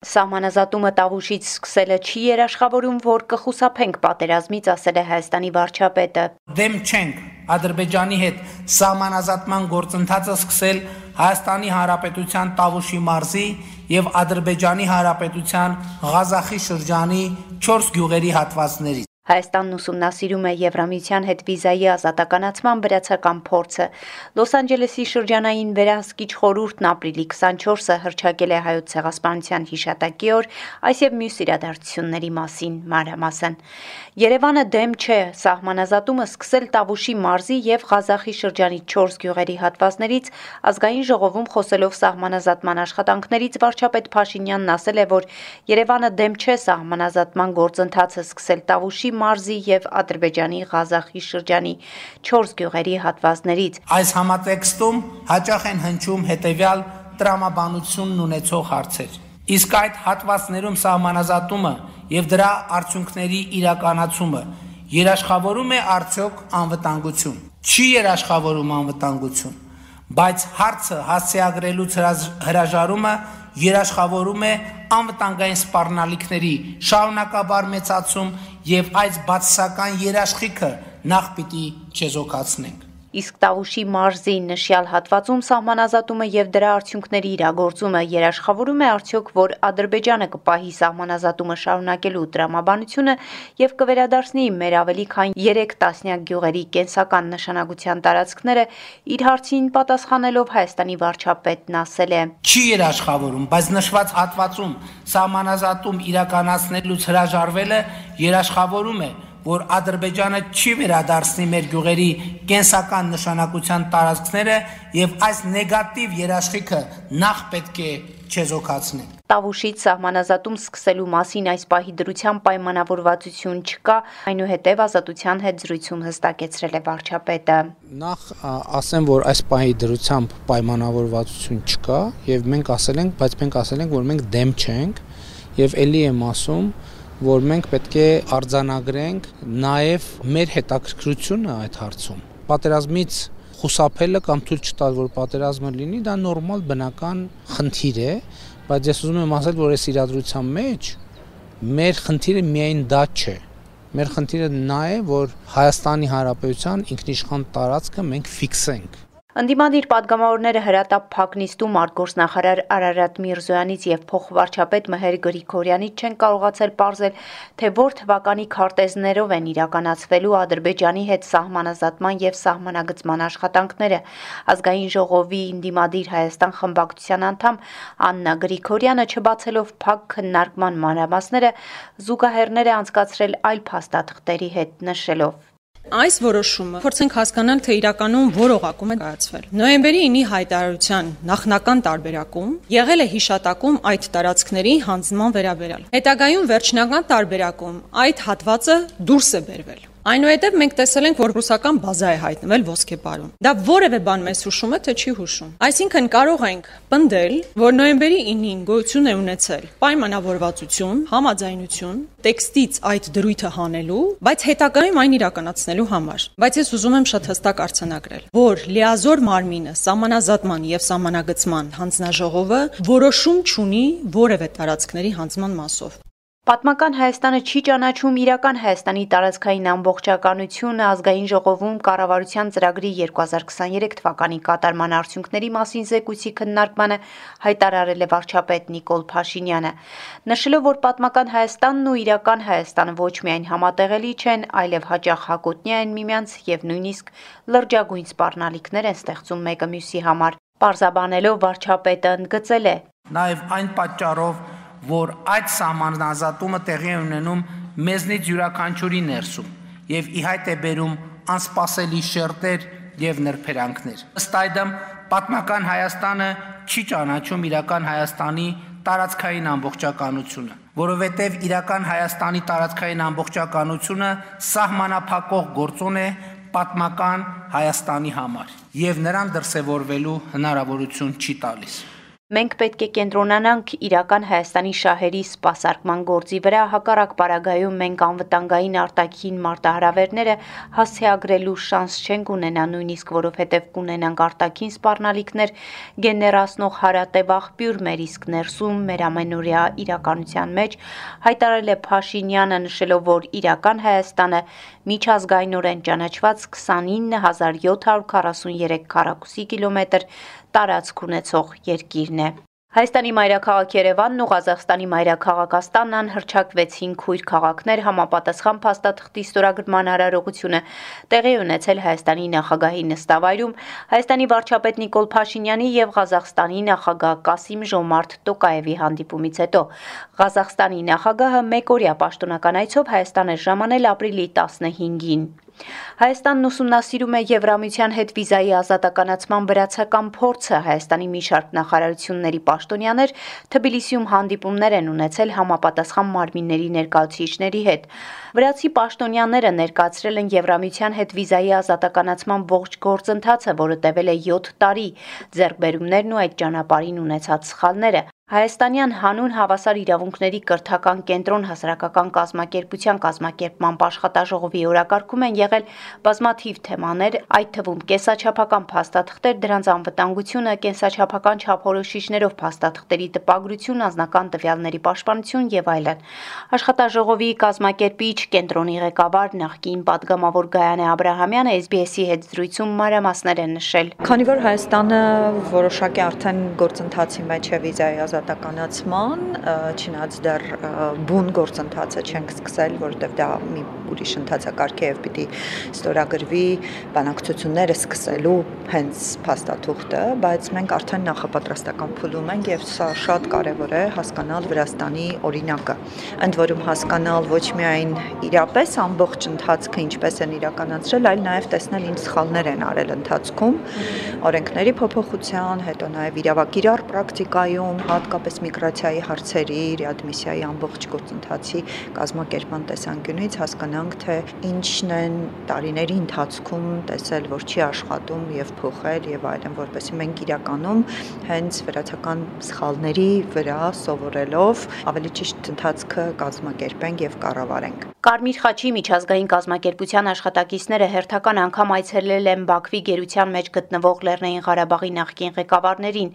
Սահմանազատումը Տավուշից սկսելը չի երաշխավորում, որ կխուսափենք պատերազմից, ասել է Հայաստանի վարչապետը։ Դեմ չենք Ադրբեջանի հետ սահմանազատման գործընթացը սկսել Հայաստանի Հանրապետության Տավուշի մարզի եւ Ադրբեջանի Հանրապետության Ղազախի շրջանի 4 գյուղերի հատվածներից։ Հայաստանն ուսումնասիրում է Եվրամիության հետ վիզայի ազատականացման վրացական փորձը։ Լոս Անջելեսի շրջանային վերահսկիչ խորհուրդն ապրիլի 24-ը հռչակել է Հայոց ցեղասպանության հիշատակի օր, այս եւ մյուս իրադարձությունների մասին մանրամասն։ Երևանը դեմ չէ սահմանազատումը սկսել Տավուշի մարզի եւ Ղազախի շրջանի 4 գյուղերի հատվածներից, ազգային ժողովում խոսելով սահմանազատման աշխատանքներից վարչապետ Փաշինյանն ասել է, որ Երևանը դեմ չէ սահմանազատման գործընթացը սկսել Տավուշի մարզի եւ Ադրբեջանի Ղազախի շրջանի 4 գյուղերի հատվածներից։ Այս համատեքստում հաճախ են հնչում հետեւյալ տրամաբանությունն ունեցող հարցեր։ Իսկ այդ հատվածներում սահմանազատումը եւ դրա արդյունքների իրականացումը երաշխավորում է արդյոք անվտանգություն։ Չի երաշխավորում անվտանգություն, բայց հարցը հասցեագրելուց հրաժարումը երաշխավորում է անվտանգային սպառնալիքների շարունակաբար մեծացում եւ այս բացասական երաշխիքը նախ պիտի չեզոքացնենք։ Իսկ Տավուշի մարզի նշյալ հատվածում սահմանազատումը եւ դրա արդյունքների իրագործումը երաշխավորում է արդյոք, որ Ադրբեջանը կպահի սահմանազատումը շարունակելու տրամաբանությունը եւ կվերադարձնի մեր ավելի քան 3 տասնյակ գյուղերի կենսական նշանակության տարածքները, իր հարցին պատասխանելով Հայաստանի վարչապետն ասել է. Չի երաշխավորում, բայց նշված հատվածում սահմանազատում իրականացնելուց հրաժարվելը երաշխավորում է, որ Ադրբեջանը չի վերադարձնի մեր գյուղերի կենսական նշանակության տարածքները եւ այս նեգատիվ երաշխիքը նախ պետք է չեզոքացնենք։ Տավուշից սահմանազատում սկսելու մասին այս պահի դրությամբ պայմանավորվածություն չկա, այնուհետև Ազատության հետ զրույցում հստակեցրել է վարչապետը։ Նախ ասեմ, որ այս պահի դրությամբ պայմանավորվածություն չկա եւ մենք ասել ենք, որ մենք դեմ չենք եւ ելի եմ ասում, որ մենք պետք է արձանագրենք նաև մեր հետաքրքրությունը այդ հարցում։ Պատերազմից խուսափելը կամ թույլ չտալ, որ պատերազմը լինի, դա նորմալ բնական խնդիր է, բայց ես ուզում եմ ասել, որ այս իրադրության մեջ մեր խնդիրը միայն դա չէ։ Մեր խնդիրը նա է, որ Հայաստանի Հանրապետության ինքնիշխան տարածքը մենք ֆիքսենք։ Ընդդիմադիր падգամավորները հրատապ փակնիստում արտգործնախարար Արարատ Միրզոյանից եւ փոխվարչապետ Մհեր Գրիգորյանից չեն կարողացել պարզել, թե որ թվականի քարտեզներով են իրականացվելու Ադրբեջանի հետ սահմանազատման եւ սահմանագծման աշխատանքները։ Ազգային ժողովի Ընդդիմադիր Հայաստան խմբակցության անդամ Աննա Գրիգորյանը չբացելով փակ քննարկման մանրամասները զուգահեռներ է անցկացրել այլ փաստաթղթերի հետ, նշելով. Այս որոշումը փորձենք հասկանալ, թե իրականում որ օղակում է կայացվել։ Նոյեմբերի 9-ի հայտարարության նախնական տարբերակում եղել է հիշատակում այդ տարածքների հանձնման վերաբերյալ։ Հետագայում վերջնական տարբերակում այդ հատվածը դուրս է բերվել։ Այնուհետև մենք տեսել ենք, որ ռուսական բազա է հայտնվել Ոսկեպարում։ Դա որևէ բան մեզ հուշում է, թե չի հուշում։ Այսինքն կարող ենք պնդել, որ նոյեմբերի 9-ին գոյություն է ունեցել պայմանավորվածություն, համաձայնություն, տեքստից այդ դրույթը հանելու, բայց հետագայում այն իրականացնելու համար։ Բայց ես ուզում եմ շատ հստակ արձանագրել, որ լիազոր մարմինը սահմանազատման եւ սահմանագծման հանձնաժողովը որոշում չունի որևէ տարածքների հանձնման մասով։ Պատմական Հայաստանը չի ճանաչում իրական Հայաստանի տարածքային ամբողջականությունը ազգային ժողովում կառավարության ծրագրի 2023 թվականի կատարման արդյունքների մասին զեկույցի քննարկմանը հայտարարել է վարչապետ Նիկոլ Փաշինյանը, նշելով, որ պատմական Հայաստանն ու իրական Հայաստանը ոչ միայն համատեղելի չեն, այլև հաճախ հակոտնյա են միմյանց եւ նույնիսկ լրջագույն սպառնալիքներ են ստեղծում մեկը մյուսի համար։ Պարզաբանելով վարչապետը ընդգծել է. Նաեւ այն պատճառով, որ այդ սահմանազատումը տեղի է ունենում մեզնից յուրաքանչյուրի ներսում եւ ի հայտ է բերում անսպասելի շերտեր եւ նրբերանգներ։ Ըստ այդմ պատմական Հայաստանը չի ճանաչում իրական Հայաստանի տարածքային ամբողջականությունը, որովհետեւ իրական Հայաստանի տարածքային ամբողջականությունը սահմանափակող գործոն է պատմական Հայաստանի համար եւ նրան դրսեւորվելու հնարավորություն չի տալիս։ Մենք պետք է կենտրոնանանք իրական Հայաստանի շահերի սպասարկման գործի վրա, հակառակ պարագայում մենք անվտանգային արտաքին մարտահրավերները հասցեագրելու շանս չենք ունենա, նույնիսկ որովհետև կունենանք արտաքին սպառնալիքներ գեներացնող հարատև աղբյուր մեր իսկ ներսում, մեր ամենօրյա իրականության մեջ, հայտարարել է Փաշինյանը, նշելով, որ իրական Հայաստանը միջազգայինորեն ճանաչված 29743 քառակուսի կիլոմետր տարածք ունեցող երկիրն է։ Հայաստանի մայրաքաղաք Երևանն ու Ղազախստանի մայրաքաղաք Աստանան հռչակվեցին քույր քաղաքներ համապատասխան փաստաթղթի ստորագրման արարողությունը տեղի ունեցել Հայաստանի նախագահի նստավայրում Հայաստանի վարչապետ Նիկոլ Փաշինյանի եւ Ղազախստանի նախագահ Կասիմ-Ժոմարթ Տոկաևի հանդիպումից հետո։ Ղազախստանի նախագահը մեկօրյա պաշտոնական այցով Հայաստան է ժամանել ապրիլի 15-ին։ Հայաստանն ուսումնասիրում է Եվրամիության հետ վիզայի ազատականացման վրացական փորձը։ Հայաստանի մի շարք նախարարությունների պաշտոնյաներ Թբիլիսիում հանդիպումներ են ունեցել համապատասխան մարմինների ներկայացուցիչների հետ։ Վրացի պաշտոնյաները ներկայացրել են Եվրամիության հետ վիզայի ազատականացման ողջ գործընթացը, որը տևել է 7 տարի, ձեռքբերումներն ու այդ ճանապարհին ունեցած սխալները։ Հայաստանյան հանուն հավասար իրավունքների կրթական կենտրոն հասարակական կազմակերպության կազմակերպման աշխատաժողովի օրակարգում են եղել բազմաթիվ թեմաներ, այդ թվում կենսաչափական փաստաթղթեր, դրանց անվտանգությունը, կենսաչափական չափորոշիչներով փաստաթղթերի տպագրություն, անձնական տվյալների պաշտպանություն եւ այլն։ Աշխատաժողովի կազմակերպիչ կենտրոնի ղեկավար նախկին падգամավոր Գայանե Աբրահամյանը SBS-ի հետ զրույցում մանրամասներ են նշել։ Քանի որ Հայաստանը որոշակի արդեն գործընթացի մեջ է վիզայի ազատականացման, չնայած դեռ բուն գործընթացը չենք սկսել, որովհետև դա մի ուրիշ ընթացակարգ է եւ պիտի ստորագրվի բանակցությունները սկսելու հենց փաստաթուղթը, բայց մենք արդեն նախապատրաստական փուլում ենք եւ սա շատ կարեւոր է հասկանալ Վրաստանի օրինակը։ Ընդ որում հասկանալ ոչ միայն իրապես ամբողջ ընթացքը ինչպես են իրականացրել, այլ նաեւ տեսնել ինչ սխալներ են արել ընթացքում, օրենքների փոփոխության, հետո նաեւ իրավակիրառ պրակտիկայում, հատկապես միգրացիայի հարցերի, ռեադմիսիայի ամբողջ գործընթացի կազմակերպման տեսանկյունից հասկանանք, թե ինչն են տարիների ընթացքում տեսել, որ չի աշխատում եւ փոխել եւ այլն, որպեսզի մենք իրականում հենց վրացական սխալների վրա սովորելով ավելի ճիշտ ընթացքը կազմակերպենք եւ կառավարենք։ Կարմիր խաչի միջազգային կազմակերպության աշխատակիցները հերթական անգամ այցելել են Բաքվի գերության մեջ գտնվող Լեռնային Ղարաբաղի նախկին ղեկավարներին։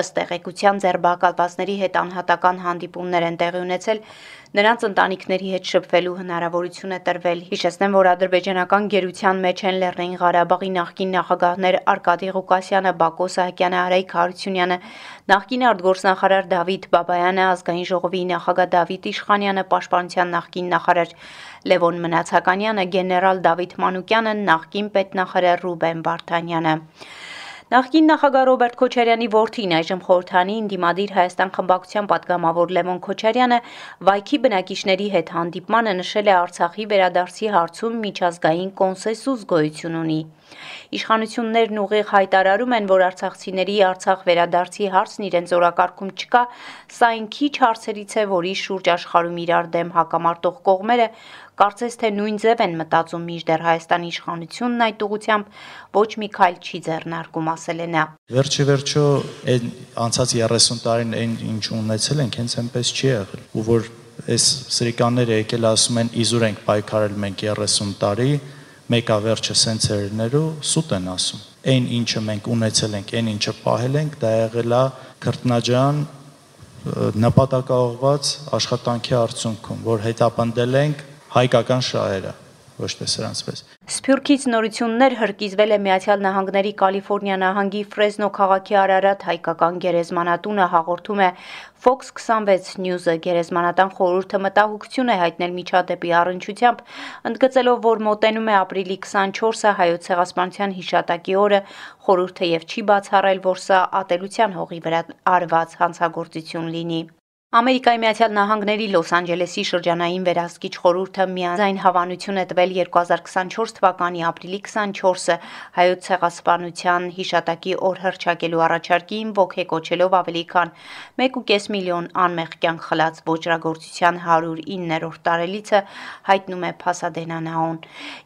Ըստ տեղեկության ձերբակալվածների հետ անհատական հանդիպումներ են տեղի ունեցել, նրանց ընտանիքների հետ շփվելու հնարավորություն է տրվել։ Հիշեցնեմ, որ ադրբեջանական գերության մեջ են Լեռնային Ղարաբաղի նախկին նախագահներ Արկադի Ղուկասյանը, Բակո Սահակյանը, Արայք Հարությունյանը, նախկին արտգործնախարար Դավիթ Բաբայանը, ազգային ժողովի նախագահ Դավիթ Իշխանյանը, պաշտպանության նախկին նախարար Լևոն Մնացականյանը, գեներալ Դավիթ Մանուկյանը, նախկին պետնախարար Ռուբեն Վարդանյանը։ Նախկին նախագահ Ռոբերտ Քոչարյանի որդին, այժմ խորհրդանի ընդդիմադիր Հայաստան խմբակցության պատգամավոր Լևոն Քոչարյանը վայքի բնակիչների հետ հանդիպմանը նշել է Արցախի վերադարձի հարցում միջազգային կոնսենսուս գոյություն ունի։ Իշխանություններն ուղիղ հայտարարում են, որ արցախցիների Արցախ վերադարձի հարցն իրենց օրակարգում չկա, սա այն քիչ հարցերից է, որի շուրջ աշխարհում իրար դեմ հակամարտող կողմերը կարծես թե նույն ձև են մտածում, մինչդեռ Հայաստանի իշխանությունն այդ ուղղությամբ ոչ մի քայլ չի ձեռնարկում, ասել է նա։ Վերջիվերջո այն անցած 30 տարին այն ինչ ունեցել ենք, հենց այնպես չի եղել, ու որ այս սրիկանները եկել ասում են իզուր ենք պայքարել մենք 30 տարի, մեկա վերջը սենց է լինելու, սուտ են ասում։ Այն ինչը մենք ունեցել ենք, այն ինչը պահել ենք, դա եղել է քրտնաջան նպատակաուղղված աշխատանքի արդյունքում, որ հետապնդել ենք հայկական շահերը, ոչ թե սրանց պես։ Սփյուռքից նորություններ հրկիզվել է Միացյալ Նահանգների Կալիֆոռնիա նահանգի Ֆրեզնո քաղաքի Արարատ հայկական գերեզմանատունը, հաղորդում է Fox 26 News-ը։ Գերեզմանատան խորհուրդը մտահոգություն է հայտնել միջադեպի առնչությամբ, ընդգծելով, որ մոտենում է ապրիլի 24-ը հայոց ցեղասպանության հիշատակի օրը, խորհուրդը եւ չի բացառել, որ սա ատելության հողի վրա արված հանցագործություն լինի։ Ամերիկայի Միացյալ Նահանգների Լոս Անջելեսի շրջանային վերահսկիչ խորհուրդը միաձայն հավանություն է տվել 2024 թվականի ապրիլի 24-ը հայոց ցեղասպանության հիշատակի օր հռչակելու առաջարկին ոգեկոչելով ավելի քան 1.5 միլիոն անմեղ կյանք խլած ոճրագործության 109-րդ տարելիցը, հայտնում է Փասադենա Նաուն։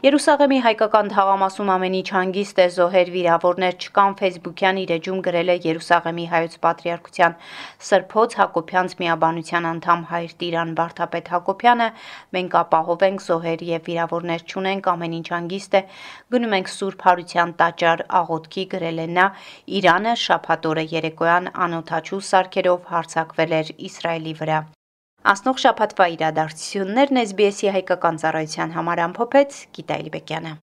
Երուսաղեմի հայկական թաղամասում ամեն ինչ հանգիստ է, զոհեր, վիրավորներ չկան, Facebook-յան իր էջում գրել է Երուսաղեմի հայոց պատրիարքության Սրբոց Հակոբյանց միաբանության անդամ հայր Տիրան Վարդապետ Հակոբյանը, մենք ապահով ենք, զոհեր եւ վիրավորներ չունենք, ամեն ինչ հանգիստ է, գնում ենք Սուրբ Հարության տաճար աղոթքի, գրել է նա, Իրանը շաբաթ օրը երեկոյան անօդաչու սարքերով հարձակվել էր Իսրայելի վրա։ Անցնող շաբաթվա իրադարձություններն SBS-ի հայկական ծառայության համար ամփոփեց Գիտա Իլբեկյանը։